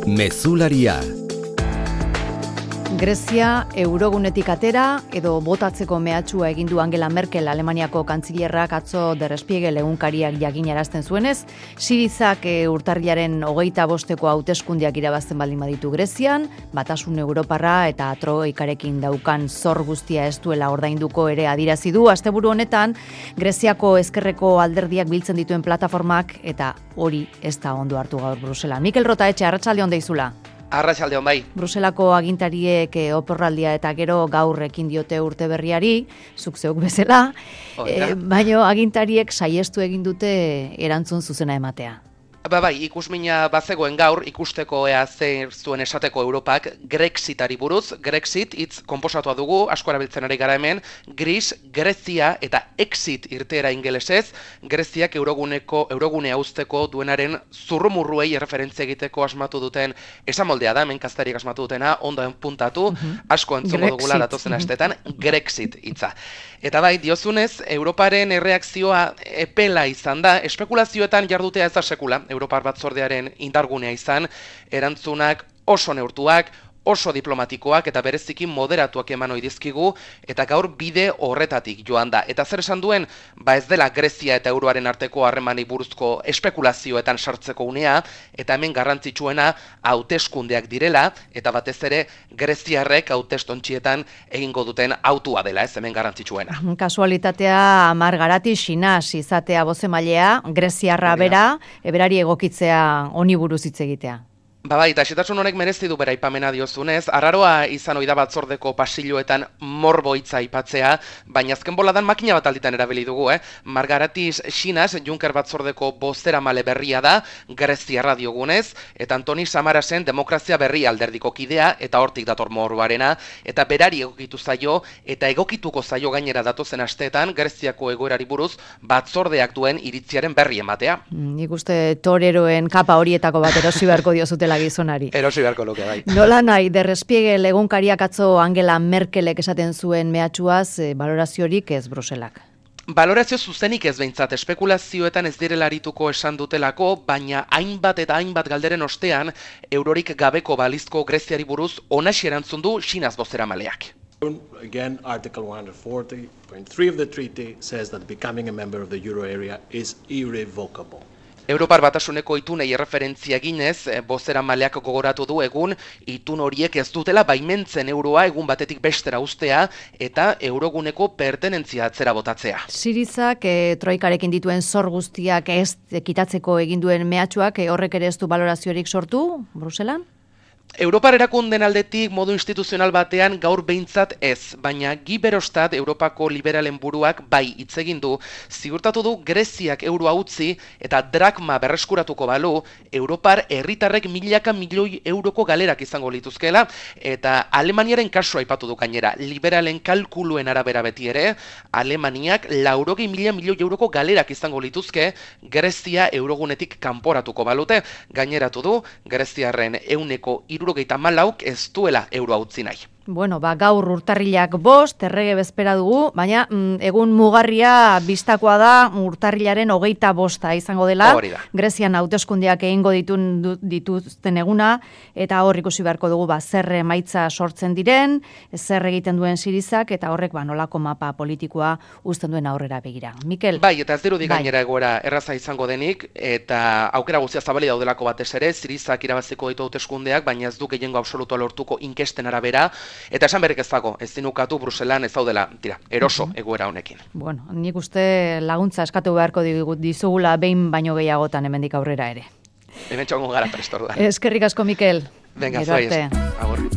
Mezularia. Grezia eurogunetik atera edo botatzeko mehatxua egin du Angela Merkel Alemaniako kantzilerrak atzo Der Spiegel egunkariak jakinarazten zuenez, Sirizak urtarrilaren 25 hauteskundeak irabazten baldin baditu Grezian, Batasun Europarra eta Troikarekin daukan zor guztia ez duela ordainduko ere adierazi du. Asteburu honetan Greziako ezkerreko alderdiak biltzen dituen plataformak eta hori ez da ondo hartu gaur Bruselan. Mikel Rotaetxe, arratsalde on deizula. Arratsaldeon bai. Bruselako agintariek oporraldia eta gero gaur ekin diote urte berriari, zuk zeuk bezala, baina agintariek saiestu egin dute erantzun zuzena ematea. Bai, ikusmina bazegoen gaur, ikusteko ea zer zuen esateko Europak Grexitari buruz. Grexit hitz konposatua dugu, asko erabiltzen ari gara hemen, Gris, Grezia eta Exit irteera ingelesez, Greziak eurogunea uzteko duenaren zurrumurruei erreferentzia egiteko asmatu duten esamoldea da, hemen kaztariek asmatu dutena, ondo puntatu, asko entzungo dugula datozen astetan, Grexit hitza. Eta bai, diozunez, Europaren erreakzioa epela izan da, espekulazioetan jardutea ez da sekula, Europar Batzordearen indargunea izan, erantzunak oso neurtuak, oso diplomatikoak eta bereziki moderatuak eman ohi dizkigu eta gaur bide horretatik joan da. Eta zer esan duen, ez dela Grezia eta euroaren arteko harremani buruzko espekulazioetan sartzeko unea, eta hemen garrantzitsuena hauteskundeak direla, eta batez ere greziarrek hautestontxietan egingo duten hautua dela, ez hemen garrantzitsuena. Kasualitatea Margarati Sinas izatea bozemailea, greziarra bera, berari egokitzea honi buruz hitz egitea. Bai, eta xetasun honek merezi du bera aipamena diozunez, arraroa izan ohi da batzordeko pasilloetan morbo hitza aipatzea, baina azken boladan makina bat alditan erabili dugu, Margaratis Sinas, Juncker batzordeko bozeramale berria da, greziarra diogunez, eta Antoni Samarasen demokrazia berri alderdiko kidea, eta hortik dator morboarena, eta berari egokitu zaio, eta egokituko zaio gainera datozen asteetan, Greziako egoerari buruz, batzordeak duen iritziaren berri ematea. Nik uste toreroen kapa horietako bat erosi beharko diozutela gizonari. Erosi beharko luke, bai. Nola nahi, Der Spiegel egunkariak atzo Angela Merkelek esaten zuen mehatxuaz, baloraziorik ez Bruselak. Balorazio zuzenik ez behintzat, espekulazioetan ez direla arituko esan dutelako, baina hainbat eta hainbat galderen ostean, eurorik gabeko balizko Greziari buruz onaxi erantzun du Sinas bozeramaleak. Again, Article 140.3 of the treaty says that becoming a member of the euro area is irrevocable. Europar Batasuneko itunei erreferentzia eginez, bozeramaleak gogoratu du egun itun horiek ez dutela baimentzen euroa egun batetik bestera uztea eta euroguneko pertenentzia atzera botatzea. Sirizak troikarekin dituen zor guztiak ez kitatzeko egin duen mehatxuak horrek ere ez du baloraziorik sortu Bruselan? Europar erakunden aldetik modu instituzional batean gaur behintzat ez, baina Guy Verhofstadt Europako liberalen buruak bai hitz egin du, ziurtatu du Greziak euroa utzi eta drakma berreskuratuko balu, Europar herritarrek milaka milioi euroko galerak izango lituzkela, eta Alemaniaren kasua aipatu du gainera, liberalen kalkuluen arabera beti ere, Alemaniak 80.000 milioi euroko galerak izango lituzke, Grezia eurogunetik kanporatuko balute, gaineratu du, Greziarren 74% ez duela euroa utzi nahi. Bueno, gaur urtarrilak 5, errege bezpera dugu, baina egun mugarria bistakoa da urtarrilaren 25 izango dela. Grezian hauteskundeak egingo dituzten eguna, eta hor ikusi beharko dugu zer emaitza sortzen diren, zer egiten duen Sirizak, eta horrek nolako mapa politikoa uzten duen aurrera begira. Mikel? Bai, eta ez dirudi gainera egoera erraza izango denik, eta aukera guztia zabali daudelako batez ere, Sirizak irabaziko ditu hauteskundeak, baina ez du gehiengo absolutua lortuko inkesten arabera, eta esan berrik ez dago, ez dinukatu Bruselan ez daudela, eroso egoera honekin. Bueno, nik uste laguntza eskatu beharko dizugula behin baino gehiagotan hemendik aurrera ere. Hemen txongo gara prestor da. Eskerrik asko, Mikel. Venga, zuai, agur.